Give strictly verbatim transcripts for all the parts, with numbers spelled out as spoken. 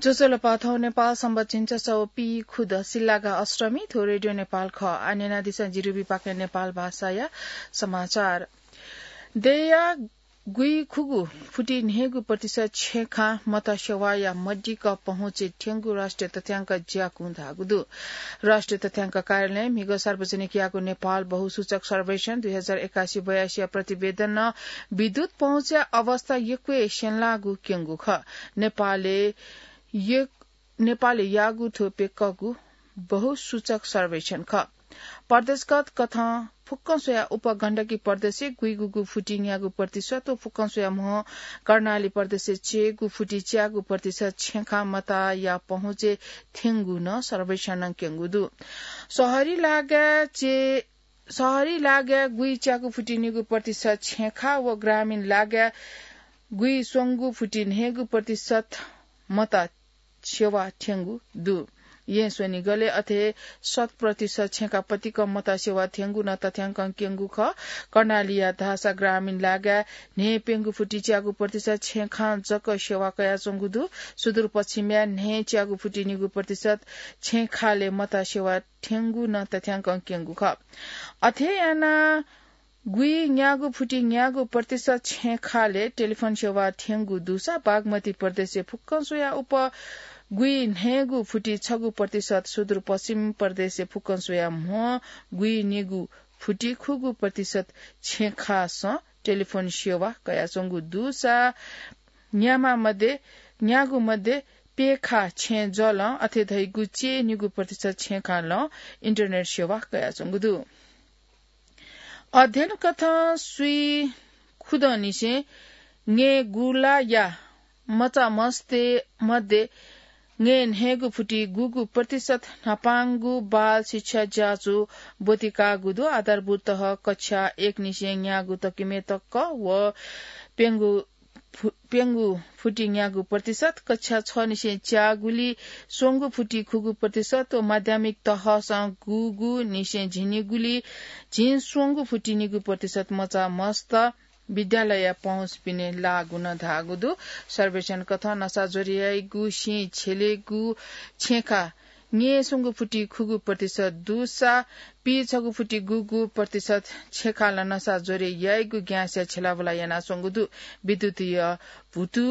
ज्वजलपा, थौं नेपाल संवत झिंछसः व पीखुदँ सिल्लागा अष्टमी, थ्व रेडियो नेपाल खः। आः न्यनादिसँ जिरुबी पाखें नेपाल भाषाया समाचार। देय्‌या गुइखुगू फुति न्हय्‌गू प्रतिशत छेँखां मत सेवाया मदिक्क पहुँचय् थ्यंगु राष्ट्रिय तथ्यांक ज्याकुं धाःगु दु। राष्ट्रिय तथ्यांक कार्यालयं म्हिगः सार्वजनिक याःगु नेपाल बहुसूचक सर्वेक्षण दुई हजार एकासी बयासीया प्रतिवेदनं विद्युत पहुँचया अवस्था यक्व हे स्यंलाःगु क्यंगु खः। नेपालय् य-, नेपालय् याःगु थ्व प्यक्कःगु बहुसूचक सर्वेक्षण खः। प्रदेशगत कथं फुक्कं स्वयाः उपगण्डकी प्रदेशय् गुइगूगु फुति न्यागू प्रतिशत व फुक्कं स्वयाः म्ह कर्णाली प्रदेशय् च्याय्‌गू फुति च्यागू प्रतिशत छेँखां मताया पहुँचय् थ्यंगु नं सर्वेक्षणं क्यंगु दु। शहरी लागाय् चे-, शहरी लागाय् गुइच्यागू फुति निगू प्रतिशत छेँखा व ग्रामीण लागाय् गुइस्वंगू फुति न्हय्‌गू प्रतिशत मता सेवा थ्यंगु दु। येँ स्वनिगलय् अथे शत प्रतिशत छेँखा पतिकं मता सेवा थ्यंगु नं तथ्यांकं क्यंगु खः। कर्णालीया धाःसा ग्रामीण लागाय् न्हय्‌प्यंगू फुति च्यागू प्रतिशत छेँखां जक सेवा कयाच्वंगु दु। सुदूरपश्चिमया न्हय्‌च्यागू फुति निगू प्रतिशत छेँखालय् मता सेवा थ्यंगु नं तथ्यांकं क्यंगु खः। अथे यानाः गुइन्यागू फुति न्यागू प्रतिशत छेँखालय् टेलिफोन सेवा थ्यंगु दुसा बागमती प्रदेशय् फुक्कं स्वयाः उप गुइन्हय्‌गू फुति छगू प्रतिशत, सुदूरपश्चिम प्रदेशय् फुक्कं स्वयाः म्ह गुइनिगू फुति खुगू प्रतिशत छेँखासं टेलिफोन सेवा कयाच्वंगु दुसा न्यामा मध्ये, न्यागू मध्ये प्यखा छेँ जलं अथे धइगु च्याय् निगू प्रतिशत छेँखालं इन्टरनेट सेवा कयाच्वंगु दु। अध्ययन कथं स्वीखुदँनिसें ङ्येगुलाया मचामस्तय् मध्ये ङ्येन्हय्‌गू फुति गुगू प्रतिशत न्हापांगु बाल शिक्षा ज्याझ्वः ब्वति काःगु दु। आधारभूत तह कक्षा एकनिसें न्यागू तकम्ह तक व प्यंगू फु-, प्यंगू फुति न्यागू प्रतिशत, कक्षा छनिसें च्यागुलि स्वंगू फुति खुगू प्रतिशत व माध्यमिक तहसं गुगुनिसें झिंनिगुलि झिंस्वंगू फुति निगू प्रतिशत मचामस्त विद्यालयया पहुँच पिने लाःगु नं धाःगु दु। सर्वेक्षण कथं नसा ज्वरे याइगु सिं छ्यलेगु छेँखा ङ्येस्वंगू फुति खुगू प्रतिशत दुसा, पीछगू फुति गुगू प्रतिशत छेँखालं नसा ज्वरे याइगु ग्याँसया छ्यलाबुला यानाच्वंगु दु। विद्युतीय भुतु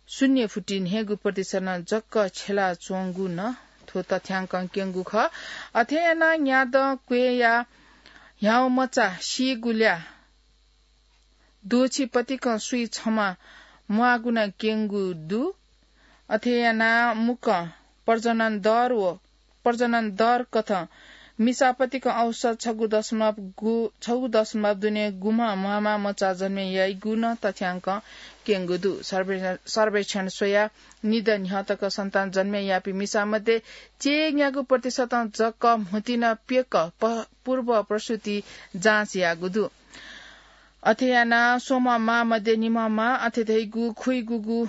शून्य फुति न्हय्‌गू प्रतिशतं जक छ्यलाच्वंगु नं थ्व तथ्यांकं क्यंगु खः। अथे यानाः न्यादँ क्वय्‌या ह्याउँमचा सीगुल्या द्वःछि पतिकं स्वीछम्ह म्वाःगु नं क्यंगु दु। अथे यानाः मुक्कं प्रजनन दर व प्रजनन दर कथं मिसा पतिकं औसत छगू दशमलव गु, छगू दशमलव दुने गुम्ह म्वाःम्ह मचा जन्मे याइगु नं तथ्यांकं क्यंगु दु। सर्वे-, सर्वेक्षण स्वयाः निदँ न्ह्यः तक सन्तान जन्मे याःपिं मिसा मध्ये च्याय् न्यागू प्रतिशतं जक म्हुतिनं प्यक प-, पूर्व प्रसूति जाँच याःगु दु। अथे यानाः स्वम्ह मां मध्ये निम्ह मां अथे धइगु खुइगूगू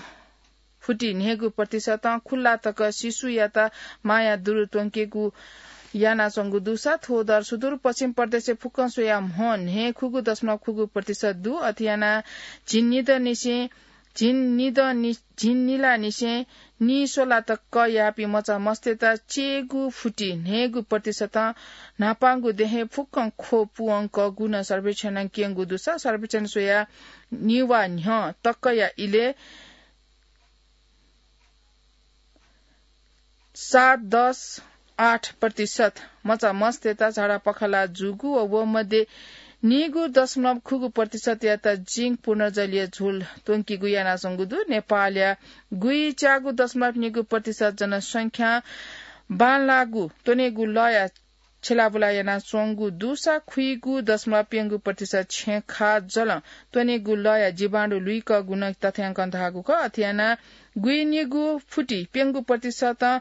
फुति न्हय्‌गू प्रतिशतं खुल्ला तक शिशुयात माया दुरु त्वंकेगु यानाच्वंगु दुसा थ्व दर सुदूरपश्चिम प्रदेशय् फुक्कं स्वयाः म्ह न्हय् खुगू दशमलव खुगू प्रतिशत दु। अथे यानाः झिंनिदँनिसें, झिंनिदँनि-, झिंनिलानिसें निस्वला तक याःपिं मचामस्तय्‌त च्याय्‌गू फुति न्हय्‌गू प्रतिशतं न्हापांगु देहें फुक्कं ख्वः पूवंकःगु नं सर्वेक्षणं क्यंगु दुसा सर्वेक्षण स्वयाः निवा न्ह्यः तकया इलय् सात दश आठ प्रतिशत मचामस्तय्‌त झाडा पखाला जूगु व व मध्ये नीगू दशमलव खुगू प्रतिशतयात जिंक पुनर्जलीय झोल त्वंकीगु यानाच्वंगु दु। नेपालया गुइच्यागू दशमलव नीगू प्रतिशत जनसंख्या बांलाःगु त्वनेगु लःया छ्यलाबुला यानाच्वंगु दुसा खुइगू दशमलव प्यंगू प्रतिशत छेँखा जलं त्वनेगु लःया जीवाणु लुइकःगु नं तथ्यांकं धाःगु खः। अथे यानाः गुइनिगू फुति प्यंगू प्रतिशतं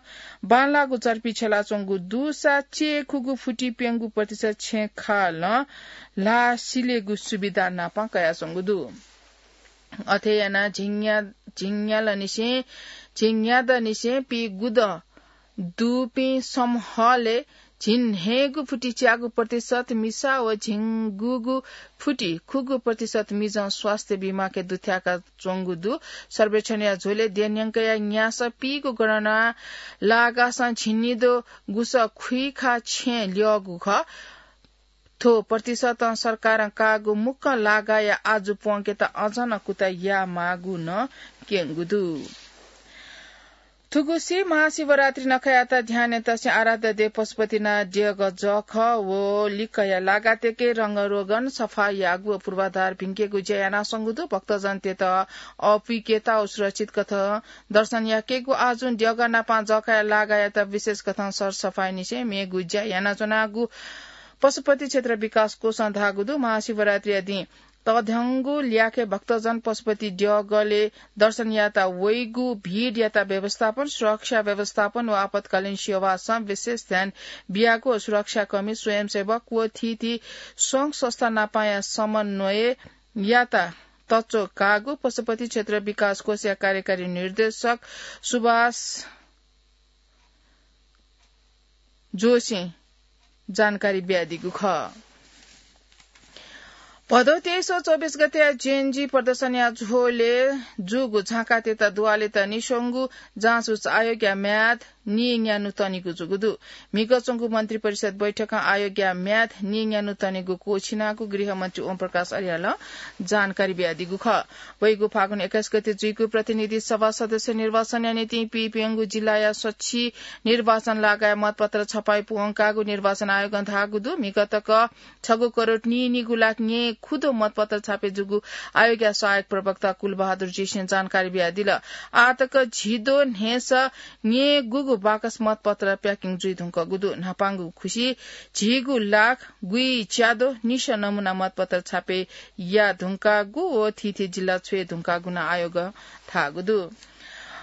बांलाःगु चर्पी छ्यलाच्वंगु दुसा च्याय् खुगू फुति प्यंगू प्रतिशत छेँखालं ल्हाः सिलेगु सुविधा नापं कयाच्वंगु दु। अथे यानाः झिंन्या-, झिंन्यालनिसें, झिंन्यादँनिसें पीगुदँ दुपिं समूहलय् झिंन्हय्‌गू फुति च्यागू प्रतिशत मिसा व झिंगूगू फुति खुगू प्रतिशत मिजं स्वास्थ्य बीमाके दुथ्याका च्वंगु दु। सर्वेक्षणया झ्वलय् देय्‌न्यंकया न्यासः पीगू गणना लागासं झिंनिदँ गुसः खुइखा छेँ ल्यःगु खः। थ्व प्रतिशतं सरकारं काःगु मुक्कं लागाया आजु प्वंकेत अझ नं कुतः यायेमाःगु नं क्यंगु दु। थुगुसी महाशिवरात्रि नखःयात ध्यानय् तसे आराध्य देव पशुपतिनाथ देगः जःखः व लिक्कया लागातय्‌के रंगरोगन सफा याःगु व पूर्वाधार भिंकेगु ज्या यानाच्वंगु दु। भक्तजनतय्‌त अःपुइकेत व सुरक्षित कथं दर्शन याकेगु आजुं देगः नापं जःखःया लागायात विशेष कथं सरसफाइनिसें मेगु ज्या यानाच्वनागु पशुपति क्षेत्र विकास कोषं धाःगु दु। महाशिवरात्रिया दिं तःधंगु ल्याखय् भक्तजन पशुपति देगलय् दर्शन यायेत वइगु भिडयात व्यवस्थापन, सुरक्षा व्यवस्थापन व आपतकालीन सेवासं विशेष ध्यान बियागु व सुरक्षाकर्मी, स्वयंसेवक व थीथी संघ संस्था नापंया समन्वययात तच्वः काःगु पशुपति क्षेत्र विकास कोषया कार्यकारी निर्देशक सुभाष जोशीं जानकारी बियादीगु खः। भदौ तेइस व चौबिस गतेया जेएनजी प्रदर्शनया झ्वलय् जूगु झाँक्रीतय्‌त दुवालेत निस्वंगु जाँच उच्च आयोगया म्याद नीन्यान्हु तनिगु जूगु दु। म्हिगः च्वंगु मन्त्रिपरिषद बैठकं आयोगया म्याद नीन्यान्हु तनिगु क्वःछिनागु गृहमन्त्री ओम प्रकाश अर्यालं जानकारी बियादीगु खः। वइगु फागुन एक्काइस गते जुइगु प्रतिनिधि सभा सदस्य निर्वाचनया निंतिं पीप्यंगू जिल्लाया सछि निर्वाचन लागाय् मतपत्र छपाइ प्वंकागु निर्वाचन आयोगं धाःगु दु। म्हिगः तक छगू करोड नीनिगू लाख न्येँ खुद्वः मतपत्र छापे जूगु आयोगया सहायक प्रवक्ता कुलबहादुर जीसिं जानकारी बियादिल। आः तक झिद्वः न्हय्‌सः न्येँ गुगु बाकस मतपत्र प्याकिङ जुइ धुंकूगु दु। न्हापांगु खुसि झिगू लाख गुइच्याद्वः निसः नमुना मतपत्र छापे याये धुंकागु व थीथी जिल्ला छ्वये धुंकागु नं आयोगं धाःगु दु।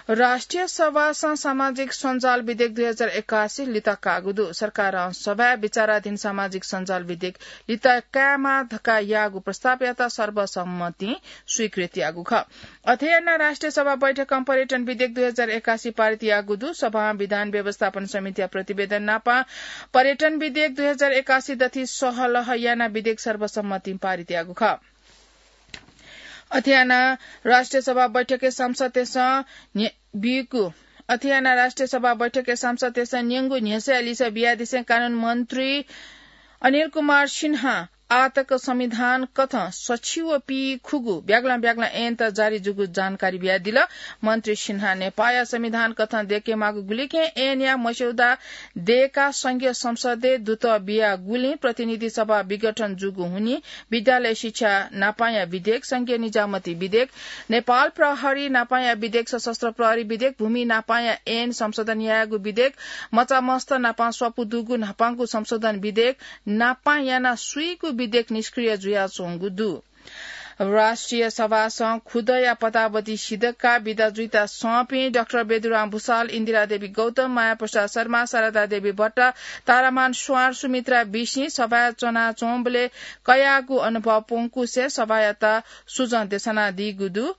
राष्ट्रिय सभासं सामाजिक सञ्जाल विधेयक दुई हजार एकासी लित काःगु दु। सरकारं सभाय् विचाराधीन सामाजिक सञ्जाल विधेयक लित कायेमाः धकाः याःगु प्रस्तावयात सर्वसम्मतिं स्वीकृत याःगु खः। अथे यानाः राष्ट्रिय सभा बैठकं पर्यटन विधेयक दुई हजार एकासी पारित याःगु दु। सभां विधान व्यवस्थापन समितिया प्रतिवेदन नापं पर्यटन विधेयक दुई हजार एकासी दथि सहलह यानाः विधेयक सर्वसम्मतिं पारित याःगु खः। अथे यानाः राष्ट्रिय सभा बैठकय् सांसदतय्‌सं न्ये-, बीगु, अथे यानाः राष्ट्रिय सभा बैठकय् सांसदतय्‌सं न्यंगु न्ह्यसःया लिसः बियादिसें कानून मन्त्री अनिल कुमार सिन्हां आः तक संविधान कथं सछि व पीखुगु ब्यागलं ब्यागलं ऐनत जारी जूगु जानकारी बियादिल। मन्त्री सिन्हां नेपाःया संविधान कथं दयेकेमाःगु गुलिखें ऐनया मस्यौदा दयेकाः संघीय संसदय् दुतः बियागुलिं प्रतिनिधि सभा विघटन जूगु हुनिं विद्यालय शिक्षा नापांया विधेयक, संघीय निजामती विधेयक, नेपाल प्रहरी नापांया विधेयक, सशस्त्र प्रहरी विधेयक, भूमि नापांया ऐन संशोधन यायेगु विधेयक, मचामस्त नापां स्वापू दुगु न्हापांगु संशोधन विधेयक नापां यानाः स्वीगू विधेयक निष्क्रिय जुयाच्वंगु दु। राष्ट्रिय सभासं खुदँया पदावधि सिधकाः बिदा जुइत सःपिं डाक्टर बेदुराम भुसाल, इन्दिरा देवी गौतम, माया प्रसाद शर्मा, शारदा देवी भट्ट, तारामान स्वार, सुमित्रा बिसिं सभाय् च्वनाच्वंबलय् कयागु अनुभव प्वंकुसें सभायात सुझाव देछानादीगु दु।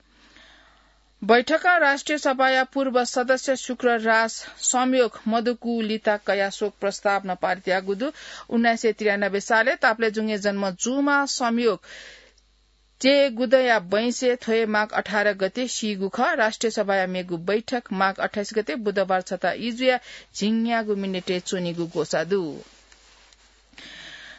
बैठकं राष्ट्रिय सभाया पूर्व सदस्य शुक्रराज संयोग मदुगु लित कयाः शोक प्रस्ताव नं पारित याःगु दु। उन्नाइस सय त्रियानब्बे सालय् ताप्लेजुङय् जन्म जूम्ह संयोग चय्‌गुदँया बैंसय् थ्व हे माघ अठार गते सीगु खः। राष्ट्रिय सभाया मेगु बैठक माघ अट्ठाइस गते बुधबार छता इजुया झिंन्यागू मिनेटय् च्वनीगु ग्वसाः दु।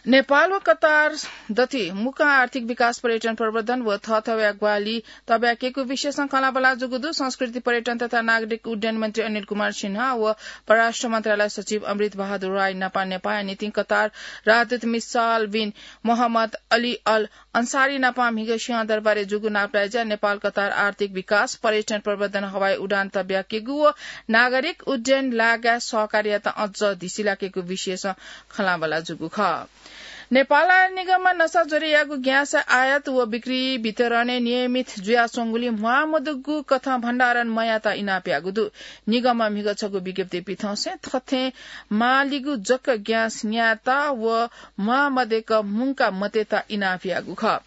नेपाल व कतार दथुइ मुक्कं आर्थिक विकास, पर्यटन प्रवर्धन व थःथवया ग्वाहालि तब्याकेगु विषयसं खँल्हाबल्हा जूगु दु। संस्कृति, पर्यटन तथा नागरिक उड्डयन मन्त्री अनिल कुमार सिन्हा व परराष्ट्र मन्त्रालय सचिव अमृत बहादुर राय नापं नेपाःया निंतिं कतार राजदूत मिसाल बिन मोहम्मद अली अल अन्सारी नापं म्हिगः सिंहदरबारय् जूगु नापलाइज्यां नेपाल कतार आर्थिक विकास, पर्यटन प्रवर्धन, हवाई उडान तब्याकेगु व नागरिक उड्डयन लागाय् सहकार्ययात अझ धिसिलाकेगु विषयसं खँल्हाबल्हा जूगु खः। नेपाल आयल निगमं नसा ज्वरयागु ग्यास आयात व बिक्री वितरणय् नियमित जुयाच्वंगुलिं म्वाःमदुगु कथं भण्डारण मयात इनाप याःगु दु। निगमं म्हिगः छगू विज्ञप्ति पिथंसे थथे माःलिगु जक ग्यास न्यायेत व म्वाःमदय्क मुंका मतयेत इनाप याःगु खः।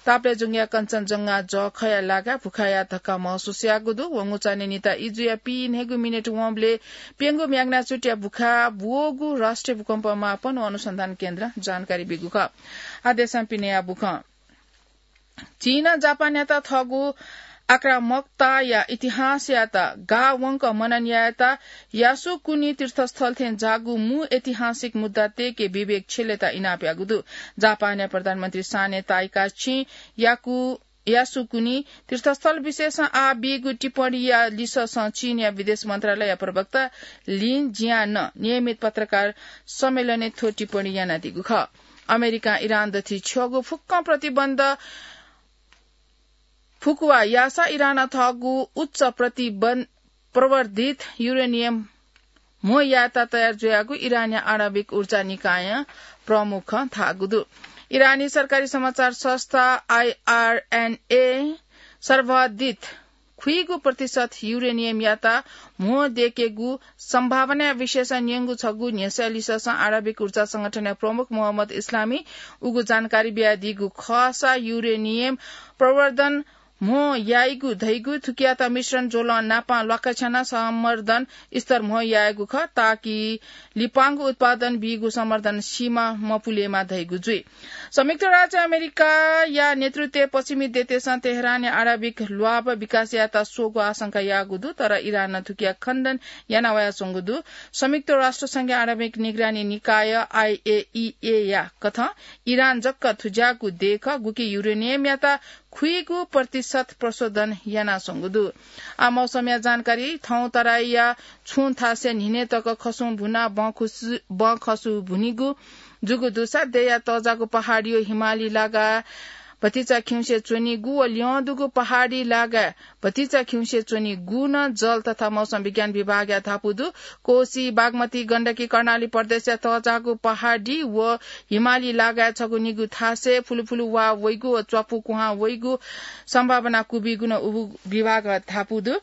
ताप्लेजुङया कञ्चनजंघा जःखःया लागाय् भुखाया धक्का महसुस याःगु दु। वंगु चान्हय् निता इजुया पीन्हय्गू मिनेट वंबलय् प्यंगू म्याग्नाचुटया भुखाय् ब्वःगु राष्ट्रिय भूकम्प मापन व अनुसन्धान केन्द्रं जानकारी ब्यूगु खः। आः देशं पिनेया बुखँ। चीनं जापानयात थःगु आक्रामकताया इतिहासयात गाः वंक मनन यायेत यासुकुनि तीर्थस्थल थें जाःगु मू ऐतिहासिक मुद्दा तयेके विवेक छ्यलेत इनाप याःगु दु। जापानया प्रधानमन्त्री साने ताइकाछिं याकु यासुकुनि तीर्थस्थल विषयसं आः बीगु टिप्पणीया लिससं चीनया विदेश मन्त्रालयया प्रवक्ता लिन जियानं नियमित पत्रकार सम्मेलनय् थ्व टिप्पणी यानादीगु खः। अमेरिकां इरान दथि छ्यःगु फुक्कं प्रतिबन्ध फुकुवा याःसा इरानं थःगु उच्च प्रतिबन्ध प्रवर्धित युरेनियम म्हो यायेत तयार जुयागु इरानया आणविक ऊर्जा निकायं प्रमुखं धाःगु दु। इरानी सरकारी समाचार संस्था आईआरएनए सर्वाधित खुइगु प्रतिशत युरेनियमयात म्हो देकेगु सम्भावनाया विषयसं न्यंगु छगू न्ह्यसः लिससं आणविक ऊर्जा संगठनया प्रमुख मोहम्मद इस्लामी उगु जानकारी बियादीगु खःसा युरेनियम प्रवर्धन म्हो याइगु धइगु थुकियात मिश्रण ज्वलं नापं ल्वाकछ्यानाः संवर्धन स्तर म्हो यायेगु खः, ताकि लिपांगु उत्पादन बीगु संवर्धन सीमा मपुलेमा धइगु जुइ। संयुक्त राज्य अमेरिकाया नेतृत्वय् पश्चिमी देशं तेहरानया आणविक ल्वाभ विकास यायेत स्वःगु आशंका याःगु दु, तर इरानं थुकिया खण्डन याना वयाच्वंगु दु। संयुक्त राष्ट्र संघया आणविक निगरानी निकाय आईएईए या कथं इरान जक थुज्याःगु देय् खः, गुकी युरेनियमयात खुइगु प्रतिशत प्रशोधन यानाच्वंगु दु। आ मौसमया जानकारी। थौं तराईया छुं थासय् न्हिनय् तक खसुं भुनाः बँ खुसु-, बँ खसु भुनिगु जूगु दुसा देय्‌या तःजाःगु पहाडी व हिमाली लागाय् भतिचा खिउँसे च्वनीगु व ल्यं दुगु पहाडी लागाय् भतिचा खिउँसे च्वनीगु नं जल तथा मौसम विज्ञान विभागया धापू दु। कोसी, बागमती, गण्डकी, कर्णाली प्रदेशया तःजाःगु पहाडी व हिमाली लागाय् छगू निगू थासय् फुलुफुलु वा वइगु व च्वापु कुहां वइगु सम्भावना कुबीगु नं उगु विभागं धापू दु।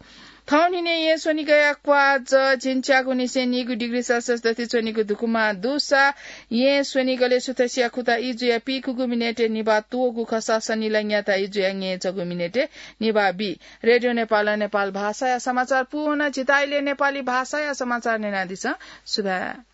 थौं न्हिनय् येँ स्वनिगःया क्वाज झिंच्यागुनिसें नीगू डिग्री सेल्सियस दथि च्वनीगु दुकुमा दुसा येँ स्वनिगलय् सुथसिया खुता इजुया पीखुगू मिनेटय् निभाः त्वःगु खःसा सनिलंयात इजुया ङ्येँचःगु मिनेटय् निभाः बी। रेडियो नेपालं नेपाल भाषाया समाचार पूवना। जितः इलय् नेपाली भाषाया समाचार न्यनादिसँ। सुभाय्।